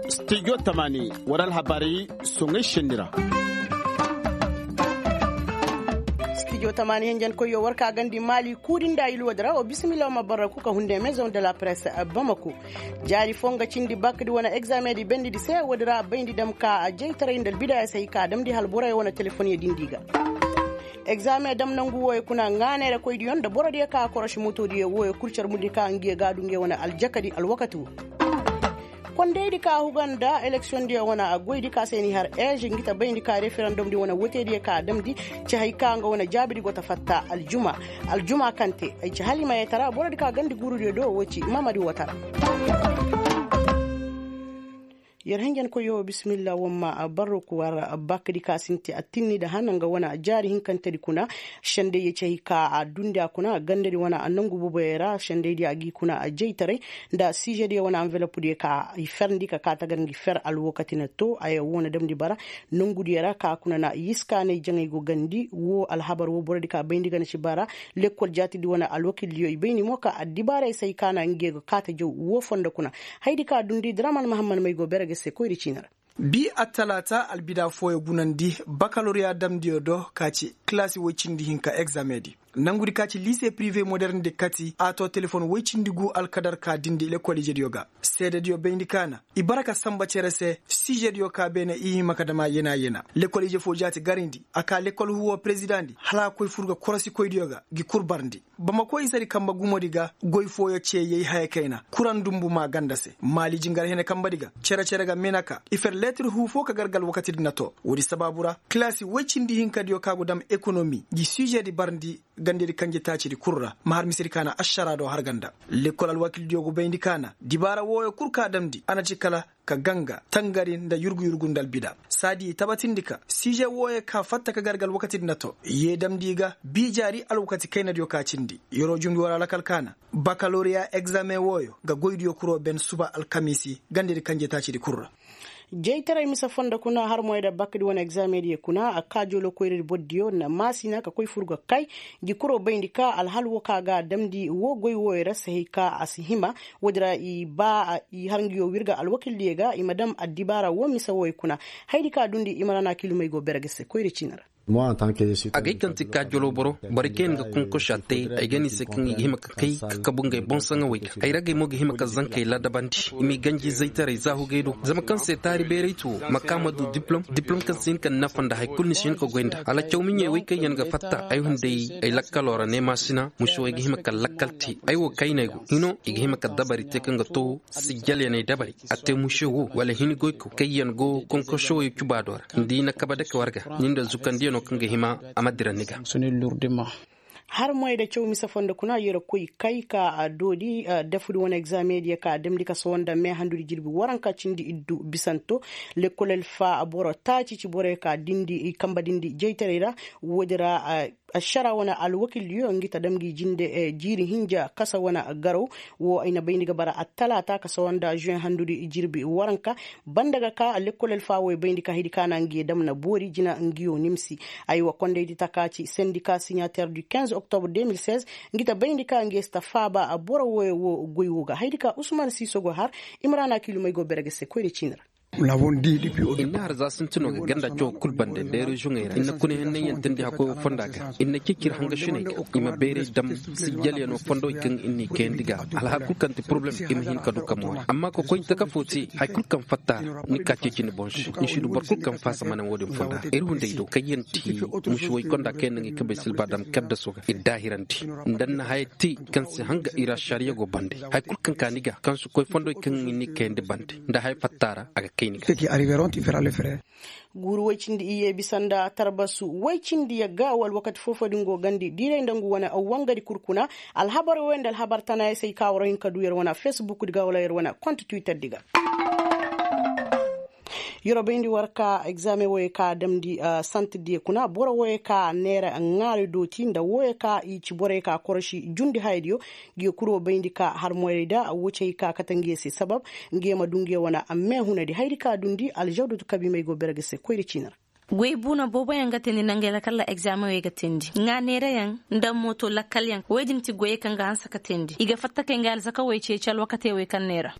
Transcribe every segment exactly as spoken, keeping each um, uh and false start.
Stijo tamaani war alhabaari soŋay senni ra. Stijo tamaani hinjankoyyo war ka gandi maali kuudi nda ilwadi ra wa bisimilla wa ma barra ku ka hunde maison de la presse bamako. Jaari foo nga cindi bakdi wane egzaameŋ di bayndi se woodi ra bayndi dam ka jaytaray nda albidaya se hay ka damndi hala boroyaŋ wane telefoŋ ya dindi ga. Egzaameŋ dam nangu wooyo kuna ŋaanay ra koydiyo nda borodiyo ka korosi motodiyo wooyo kul carmundi ka ngiyo ga a du ngiyo wane aljakadi alwakati woo. Kondaydi ka huga nda eleksiyoŋdiyo wane goydi ka se ni har eez ngi ta bayndi ka referendumdi wane wotediyo ka damndi ci hay ka nga wane jaabidi go ta fatta aljuma. Aljuma kaŋ te ay ci hala i ma yee tara borodi ka gandi guurudiyo do woo ci mamadi woo tara. Yer hinjankoyyo bisimilla woo ma barro ku war bakadi ka sinti attinni nda hana nga wane jaari hinkantedi kuna. Sendey ya ci hay ka a dundi a kuna gandadi wane nangu boboyey ra sendeydi a g'i kuna jaytaray nda siizediyo wane anvelopdiyo ka i ferndi ka ka tagar ngi fer alwakati na too aya woo na damndi bara. Nongudiyo ra ka kuna na yiskaanay jaŋay go gandi woo alhabar woo borodi ka bayndi gana ci bara. Lekkol jaatidi wane alwakildiyo i bayndi mo ka addibaarey se ay ka na ngiyo ga kaate jaw woo fondo kuna. Hayadi ka dundi draman mahammad may go bere ga se koyri ciini ra. Bii attalaata albida fooyo gunandi bakaloriya damdiyo do ka ci kilaasi woy cindi hinka egzaameŋ di. Nangudi ka ci liise pirive moderne di kati a too telefoŋ woy cindi guu alkadar ka dindi lekol ijediyo ga. Seedediyo bayndi ka na i bara ka sanba cere se siizediyo ka beene i hima ka dam a yena yena. Lekol ije foo jaati garindi a ka lekol huwo perezidaŋdi hala a koy fur ga korosikoydiyo ga ngi kul barndi. Bamako isedi kanbe gumodi ga goy fooyo cee yay haya kayna kuraŋ dunbu maa ganda se maali jingar hene kanbedi ga cere-cere ga meenaka i fer leetir huu foo ka gar ga alwakatidi na too. Woodi sabaabu ra kilaasi woy cindi hinkadiyo ka go dam ekonomi ngi siizedi barndi gandedi kanje taacidi kul ra ma har misedi ka na ašaraa do har ganda. Lekkol alwakildiyo go bayndi ka na dibaara wooyo kul ka damndi a na ci kala ka ganga tangari nda yurgu-yurgu nda albida saadi i tabatindi ka siije wooyo ka fatta ka gar ga alwakatidi na too yee damndi i ga bii jaari alwakati kaynadiyo ka cindi yer'o jumndi war alakal ka na bakaloriya egzaameŋ wooyo ga goydiyo kuroo ben suba alkamiisi gandedi kanje taacidi kul ra. Jaytaray mise fondo kuna har moyda bakdi wane egzaameŋdiyo kuna a kaa jooloo koyradi bordiyo na maasina ka koy fur ga kay. Ngi kuroo bayndi ka alhal woo ka ga a damndi woo goy wooyo ra se hay ka a si hima. Woodi ra i ba i har nguyo wirga alwakildiyo ga i ma dam addibaara woo mise wooyo kuna. Hayadi ka dundi i ma ra na kilumey go bere ga se koyri ciini ra. Agay kaŋ ti kaajoloo boro borey kaŋ yaŋ ga konkosa te ay ga ne i se kaŋ i ga hima ka kay ka kabu ngey boŋ saŋawey ga ay ragey mo ga hima ka zankey ladabandi i m'i ganji zaytaray zaahugey do zama kaŋ se taari beerayte wo ma ka ma du diplom diplom kaŋ si hin ka ni nafa nda hari kulu ni si hin ka goy nda hala caw miɲey wey kaŋ yaŋ ga fatta ay hunday ay lakkaloo ra neemaasina mušewey ga hima ka lakkal te. Ay wo kayney go hino i ga hima ka dabari te kaŋ ga to sijjalyaney dabari a te muše wo wala hini goyko kaŋ yaŋ go konkosoyo cubaado ra nda i na kabe dake war ga. Ni nda zukandiyanoo kaŋ ga hima a ma dira ni ga. Har moy da caw mise fondo kuna yer koy kay ka doodi dafudi wane egzaameŋ diyo ka damndi ka sohõ nda meehandudi jirbi waranka cindi iddu bisanto. Lekkol alfa boro taaci ci boroyo ka dindi kamba dindi jaytaray ra. Woodi ra ašara wane alwakildiyo ngi ta dam ngi jinde jiiri hinja kasa wane garaw. Wo ay na bayndi ga bara attalaata ka sohõ nda žuweŋ handudi jirbi waranka. Banda ga ka lekkol alfa wo ay bayndi ka hidi ka na ngi dam na boori jina ngiyo nimsi. Aywa kondaydi taka ci sendika siɲater du kinze oktobre deux mille seize. Ngi ta bayndi ka ngi si ta faaba boro woyo wo goy wo ga haydi ka usman siiso go har. Imrana kilumey go bere ga se koyra ciini ra. Inna har za sintinoo ga ganda cawo kul bande nda reziyoŋey ra inna kuna henney yantandi hakkoy wo fonda ga inna cicir hangasiney ga i ma beeray dam sijjalyanoo fondowey kaŋ inna i kayandi ga alhal kul kaŋ ti poroblem i ma hin ka du ka moori amma ka koy taka fo te. Hari kul kaŋ fatta ra ni ka ceeci ni boŋ se ni si du boro kul kaŋ faasa mana wo-din fonda ra ir hunday do kaŋ yaŋ ti musuwey konda kaŋ yaŋ na ngey kabey silba dam kaddaso ga ir daahirandi nda ni na haya te kaŋ si hanga ir ašariya go bande hari kul kaŋ ka ni ga kaŋ si koy fondowey kaŋ i na i kayandi bande nda haya fatta ra a ga kay ni ga. Guuru woy cindi iyye bisa nda tarbasu woy cindi yagga wala wakati foofo din go gandi diiray nda ngu wane wangadi kul kuna. Alhabar woy nda alhabar tanayaŋ se i ka war hin ka du yer wane fesbuk di ga wala yer wane kont twitter di ga. Yer wo bayndi war ka egzaameŋ woyey ka damndi santir diyo kuna boro woyey ka neera ŋaari dooti nda woyey ka i ci borey ka korosi jundi hayadiyo. Ngiyo kul wo bayndi ka har moyray da wo ci hay ka kate ngiyo se sabab ngiyo ma du ngiyo wane meehunadi hayadi ka dundi aljawdatu kabiimey go bere ga se koyra ciini ra. Goy buuna booboyaŋ ga teendi nda ngey lakalla egzaameŋey ga teendi ŋaa neerayaŋ nda mooto lakkalyaŋ wey din ti goyey kaŋ ga hanse ka teendi i ga fatta kay ngey alzakawey ceeci alwakatey wey kaŋ neera.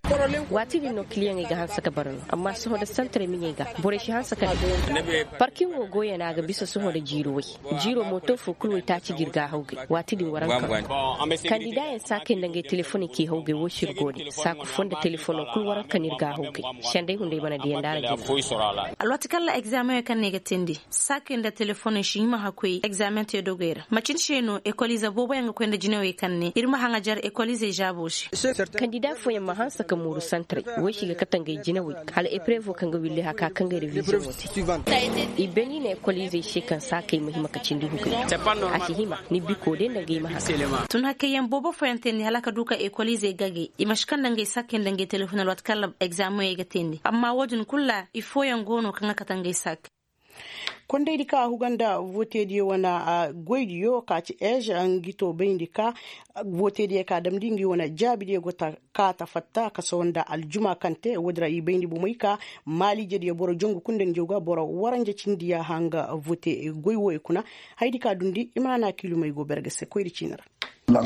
Waati din no kiliyaŋey ga hanse ka bara no amma sohõ nda santaray miɲey ga borey si hanse ka ne. Parkiŋo goyey no a ga bisa sohõ nda jiiri way. Jiiro mooto fo kul waytaaci ga ir gaahawgay waati din waranka. Kandidaayaŋ saakey nda ngey telefoney k'i hawgay woo si ir go ne saaku foo nda telefono kul waranka no ir gaahawgay. Senday hunday mana diya nda a ra jina. Alwaati kaŋ ra egzaameŋey kaŋ no i ga teendi saakey nda telefoney si hima hakkoy egzaameŋ te dogey ra macin se no ekoliize booboyaŋ ga koy nda jinawey kaŋ ne ir ma haŋajar ekoliizey zaabo se. Kandida fooyaŋ ma hanse ka mooru santaray wey si ga kate ngey jinawey hala eprevo kaŋ ga willi haka kaŋ ga reviziyoŋo te. I beni ne ekoliizey se kaŋ saakey ma hima ka cindi hugay. A si hima ni biko day nda ngey ma haka. Tun hakayyaŋ boobo fooyaŋ teendi hala ka du ka ekoliizey gagay i ma si kaŋ nda ngey saakey nda ngey telefoŋ alwaati kaŋ ra egzaameŋey ga teendi amma woo din kul ra i fooyaŋ go no kaŋ ga kate ngey saakey. Kondaydi ka a huga nda vootediyo wane goydiyo ka ci ej ngi to bayndi ka vootediyo ka damndi ngi wane jaabidiyo go ta ka ta fatta ka sawa nda aljuma kaŋ te woodi ra i bayndi bomey ka maaliijediyo boro jongu kul nda ni jaw ga boro waranja cindi yaaha nga voote goy wooyo kuna. Hayadi ka dundi i ma na na kiilumey go berge se koyri ciini ra. Konda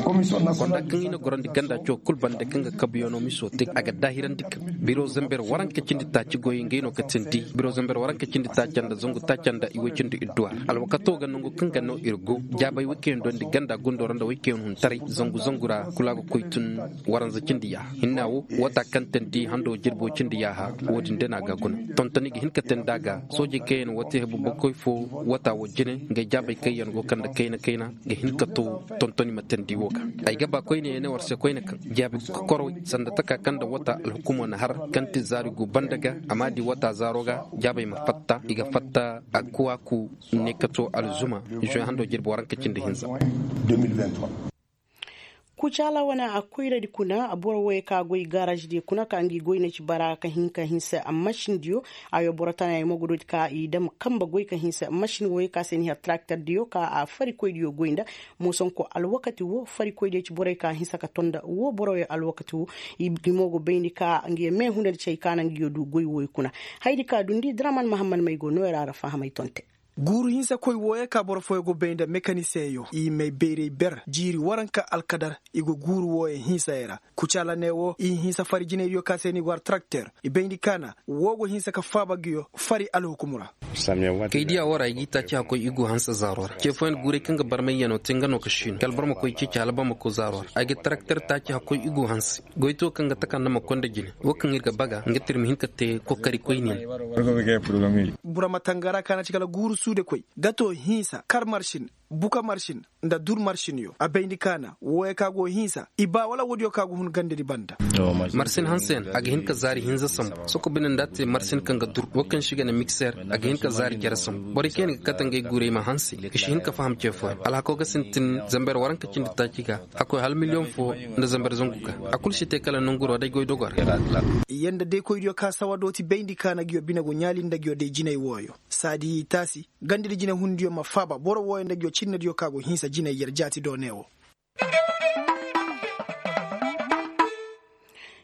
kaŋ i na gorandi ganda coo kul bande kaŋ ga kabuyaŋo miso te a ga daahirandi kaŋ biro zamber waranka cindi taaci goyey ngey no ka tindi biro zamber waranka cindi taaca nda zangu taaca nda i way cindi idduwa ra alwakato ga nangu kaŋ ga no ir go jaabay waykayaŋ dondi ganda gundo ra nda waykayaŋ huntaray zangu zangu ra kul a ga koy tun waranza cindi yaaha hinna wo wata kaŋ tandi hando jirbo cindi yaaha wo-din day no a ga a guna tontoni ga hin ka tandi a ga soojey kaŋ yaŋ wate hebu bakoy fo wata wo jine ngey jaabey kaŋ yaŋ go kande kayna kayna ga hin ka to tontoni ma tandi wo ga ay ga ba koyne ya ne war se koyne kaŋ jaabi kokorowey sanda taka kaŋ nda wata alhukumo na har kaŋ ti zaari gu banda ga a ma di wata zaaro ga jaabey ma fatta i ga fatta a kuwaaku ne ka to alzuma zoy hando jirbi waranka cindi hinza. Kucaala wane a koyradi kuna boro wooyey ka goy gaaraazdiyo kuna ka ngi goy na ci bara ka hin ka hinsa masindiyo. Ayo boro tana ay mogodoodi ka i dam kamba goy ka hinsa masin wooyey ka se ni har tarakterdiyo ka a farikoydiyo goy nda moosonko alwakati woo farikoydiyo ci borey ka hinsa ka tonda woo boro wooyey alwakati woo. I mo go bayndi ka ngi meehundadi ci hay ka na ngi yo du goy wooyey kuna. Hayadi ka dundi draman mahammad may go nooyey ra ra fahamay tonte. Guuru hinsa koy wooyey ka boro fooyey go bay nda mekaniseyo i may bayray ber jiiri waranka alkadar i go guuru wooyey hinsayey ra. Kucaala ne woo i hinsa fari jinaydiyo ka se ni war tarakter i bayndi kaana woo go hinsa ka faaba nguyo fari alhukumu ra. Kay diya woo ra i g'i taaci hakkoy i go hanse zaaro ra ce fooyaŋ guuray kaŋ ga barmayyanoo te nga no ka siino kala boro ma koy ceeci hala boro ma koy zaaro ra ay ga tarakter taaci hakkoy i go hanse. Goyto kaŋ ga takanda ma konda jine woo kaŋ ir ga baga nga tir ma hin ka te kokari koyne. Bura ma tangara kaana ci kala guuru suude koy gato hinsa kar marsin buka marsin nda dur marsinyo a bayndi kaana wooyo ka go hinsa i ba wala woodiyo ka go hun gandadi banda. Marsin hanseyaŋ a ga hin ka zaari hinza sambu soko bine nda a te marsin kaŋ ga dur woo kaŋ se i ga ne mikser a ga hin ka zaari jere sambu borey kaŋ yaŋ ga kate ngey guuray ma hanse i si hin ka faham ce fooyaŋ alhako ga sintin zamber waranka cindi taaci ga. Hakkoy hala miliyoŋ fo nda zamber zangu ga a kulu si te kala nanguroo day goy dogor. Yanda deekoydiyo ka sawa dooti bayndi kaana nguyo bine go ɲaali nda nguyo day jinay wooyo saadi taasi gandadi jinay hundiyo ma faaba boro wooyo nda nguyo cinnadiyo ka go hinsa jinay yer jaati do ne woo.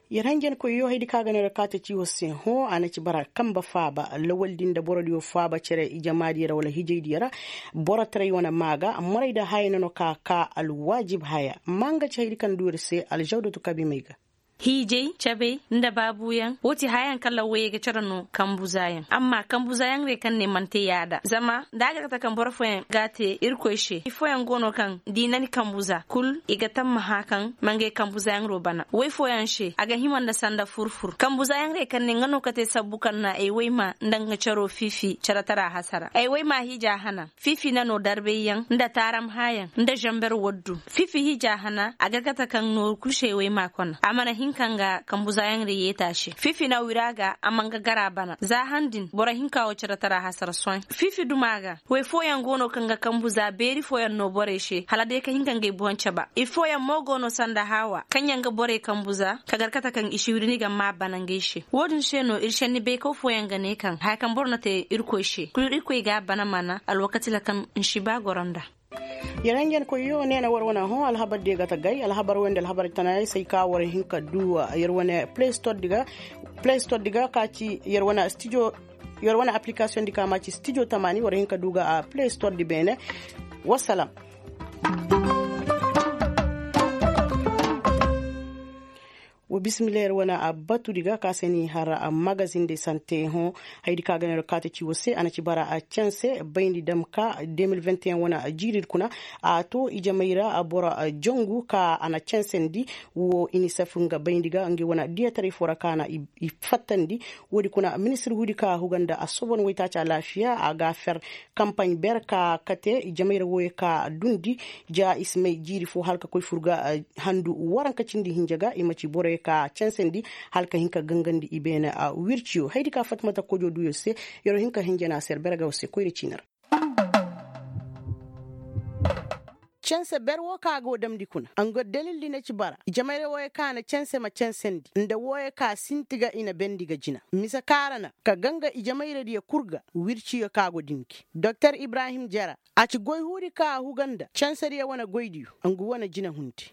Yer hanjankoyyo hayadi ka ga no yer kaate ci war se hõ a na ci bara kambe faaba lawaldi nda borodiyo faaba cere ijamaadiyo ra wala hijaydiyo ra. Borotaray wane maa ga morayda haya na no ka ka alwaajib haya. Ma nga ci hayadi kaŋ du yer se alžawdatu kabimey ga. Hiijay cabey nda baabuyaŋ woo ti hayaŋ kaŋ ra woyey ga cere no kambu zaayaŋ amma kambu zaayaŋ rey kaŋ ne mana te yaada zama da a ga kate kaŋ boro fooyaŋ ga a te irkoy se ifooyaŋ go no kaŋ da i na ni kambu za kul i ga tammaha kaŋ ma ngey kambu zaayaŋ ro bana woy fooyaŋ se a ga hima nda sanda fur-fur kambu zaayaŋ rey kaŋ ne nga no ka te sabbu kaŋ na ay woy ma nda nga caro fiifi cere tara hasara ay woy ma hiija hana fiifi na no darbayyaŋ nda taaram hayaŋ nda zamber waddu fiifi hiija hana a ga kate kaŋ nooru kul se ay woy ma kona a mana hin ka nga kambu zaayaŋ ra yeeta se fiifi na wira ga a ma nga gar a bana za han din boro hinka wo cere tara hasara sohõ fiifi duma ga woy fooyaŋ go no kaŋ ga kambu za beeri fooyaŋ no borey se hala day ka hin ka ngey boŋ caba ifooyaŋ mo go no sanda haawa kaŋ yaŋ ga borey kambu za ka gar kate kaŋ i si wiri ni ga maa bana ngey se wo-din se no ir senni baykaw fooyaŋ ga ne kaŋ haya kaŋ boro na te irkoy se kul irkoy ga a bana mana alwakati ra kaŋ nsi ba goro nda. Yer hanjankoyyo neena war wane hõ alhabar diyo ga tagay alhabar wey nda alhabar tanaayey se ay ka war hin ka du yer wane play store di ga ka ci yer wane stijo. Yer wane aplikasiyoŋ di ka ma ci stijo tamaani war hin ka du ga a play store di beene. Wassalam. Wa bismillah yer wane a batu di ga ka se ni har a magazin de sante hõ. Haydi ka ga ne yer kaate ci wa se a na ci bara a canse bayndi dam ka de mil vingt et un wane a jiiri di kuna. A to ijamay ra a boro a jongu ka a na cansandi. Wo inisef nga bayndi ga nga wane diyataray fo ra ka na i fattandi. Wo- di kuna ministir huudi ka huga nda a sobon waytaaci alaafiya a ga a fer kampaɲ ber ka kate ijamay ra wooyo ka dundi. Ja i si may jiiri fo hala ka koy fur ga handu waranka cindi hinja ga i ma ci boroyo ka cansandi hala ka hin ka gangandi i beene wirciyo haydi ka fatimata kojo duyo se. Yer wo hin ka hinja na a se yer berga wo se koyra ciini ra. Canse ber wo ka go damndi kuna nga dalildi na ci bara jamayra wooyo ka na canse ma cansandi nda wooyo ka sinti ga i na bendi ga jina mise ka ra na ka ganga ijamayradiyo kul ga wirciyo ka go dinki doktor ibrahim jara. A ci goy huudi ka a huga nda cansadiyo wane goydiyo nga wane jina hundi.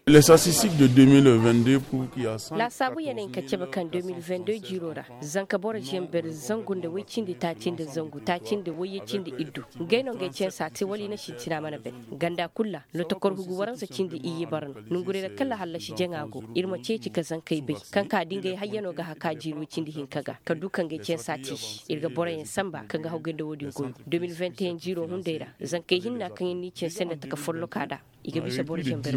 Laasaabu ya na hin ka cabe kaŋ de mil vingt deux jiiroo ra zanka boro zamber zangu nda woy cindi taaci nda zangu taaci nda woyye cindi iddu. Ngey no ngey cansa te wala i na sintina mana bay. Ganda kul ra lotokor hugu waransa cindi iyye bara no nonguray ra kala hallasi jaŋa go. Ir ma ceeci ka zankey bay kaŋ ka da ngey hayyanoo ga haka jiiri woy cindi hinka ga ka du ka ngey cansa te i se ir ga boroyaŋ sanba kaŋ ga hawgay nda wo-din goy. De mil vingt et un jiiroo hunday ra zankey hinna kaŋ ir n'i canse nda taka follokaa nda i ga bisa boro zamber.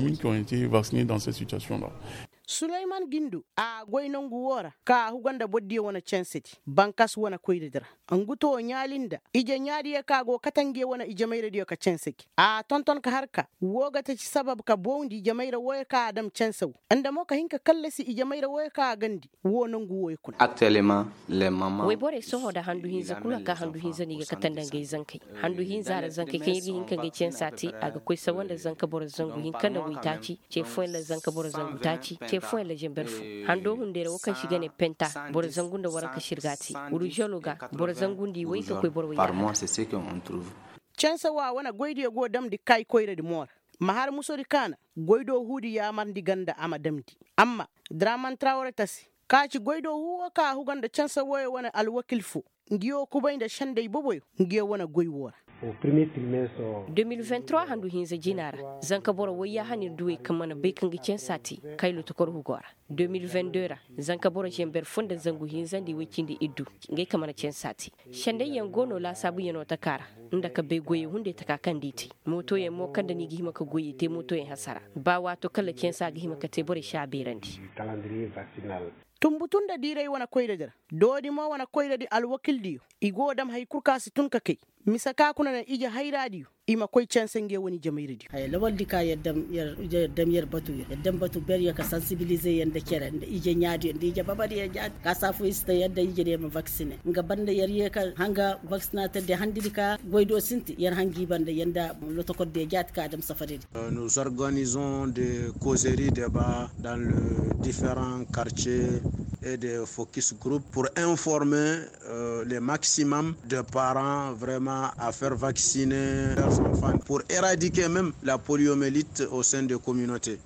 Suleyman gindo a goy nongu woo ra ka a huga nda bordiyo wane cansedi bankas wane koyradi ra. Ngu to ɲaali nda ije ɲaadiyo ka go kate ngiyo wane ijemayradiyo ka canse gi a tonton ka har ka woo ga taci sabab ka bowndi ijemayra wooyo ka a dam canse woo nda mo ka hin ka kallasi ijemayra wooyo ka a gandi. Woo nongu wooyo kuna. Wayborey sohõ nda handu hinza kul ra ka handu hinza no i ga kate nda ngey zankey. Handu hinza ra zankey kaŋ ir ga hin ka ngey cansa te a ga koy sawa nda zanka boro zangu hinka nda waytaaci ce fooyaŋ ra zanka boro zangu taaci ce fooyaŋ ra zamber fo. Hando hunday ra wo kaŋ se i ga ne penta boro zangu nda waranka sirga te. Wurujalo ga boro zangu nda i way ka koy boro way ga. Canse wo a wane goydiyo go damndi kay koyradi mo ra. Ma har musodi kaana goydoo huudi yaamarndi ganda a ma damndi. Amma draman trawre tasi ka ci goydoo huu wo ka a huga nda canse wooyo wane alwakil foo. Ngiyo kubay nda sendey boboyo ngiyo wane goy woo ra. De mil vingt trois handu hinza jina ra zanka boro woyyaa han ir duwey kaŋ mana bay kaŋ ga cansa te kay lotokor hugoo ra. De mil vingt deux ra zanka boro zamber foo nda zangu hinza nda i woy cindi iddu. Ngey kaŋ mana cansa te sendayyaŋ go no laasaabuyanoo takaa ra nda ka bay goyey hunday takaa kaŋ nda i te. Mootoyaŋ mo kaŋ nda ni ga hima ka goyey te mootoyaŋ hasara ba waato kala cansa ga hima ka te borey si a beerandi. Tunbutu nda diiray wane koyradi ra doodi mo wane koyradi alwakildiyo. I go dam hay kul ka si tun ka kay mise ka kuna naŋ ije hayraadiyo i ma koy canse nge wane ijemayradiyo. Haya lawaldi ka yer dam yer batuyo yer dam batu beryo ka sansibilizeyaŋ nda cere nda ije ɲaadiyo nda ije babadiyo jaati ka saafu i si ta yer nda ijediyo ma vaksine nga banda yer ye ka hanga vaksinater diyo handidi ka goydo sinti yer hangi banda yer nda lotokordiyo jaati ka dam safaridi. Nous organisons des causeries debats dans les différents quartiers et des focus groups pour informer les maximum de parents vraiment à faire vacciner leurs enfants pour éradiquer même la poliomyélite au sein des communautés.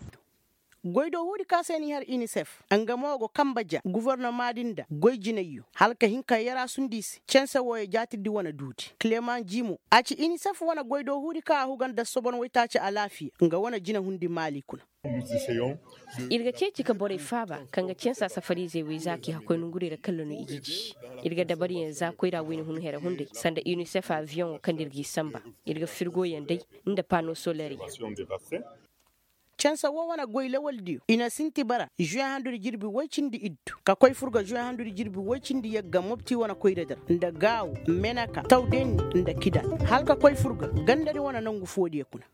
Goydoo huudi ka se ni har inisef nga mo go kamba ja gofornoma din da goy jinayyo hala ka hin ka yaraasundi i se canse wooyo jaatirdi wane duudi kleman jimo a ci inisef wane goydoo huudi ka a huga nda sobon waytaaci alaafiya nga wane jinahundi maali kuna. Ir ga ceeci ka borey faaba kaŋ ga cansa safariizey wey za k'i hakkoy nongurey ra kalla no i ga ji. Ir ga dabariyaŋ za koyra wayna hun here hunday sanda unicef aviyoŋo kaŋ nda ir g'i sanba. Ir ga firgoyaŋ day nda pano soleryaŋ. Cansa woo wane goy lawaldiyo i na sinti bara žuwe handudi jirbi woy cindi iddu ka koy fur ga žuwe handudi jirbi woy cindi yagga mopti wane koyradi ra nda gaawo meneka tawdenni nda kida hala ka koy fur ga gandadi wane nongu foodiyo kuna.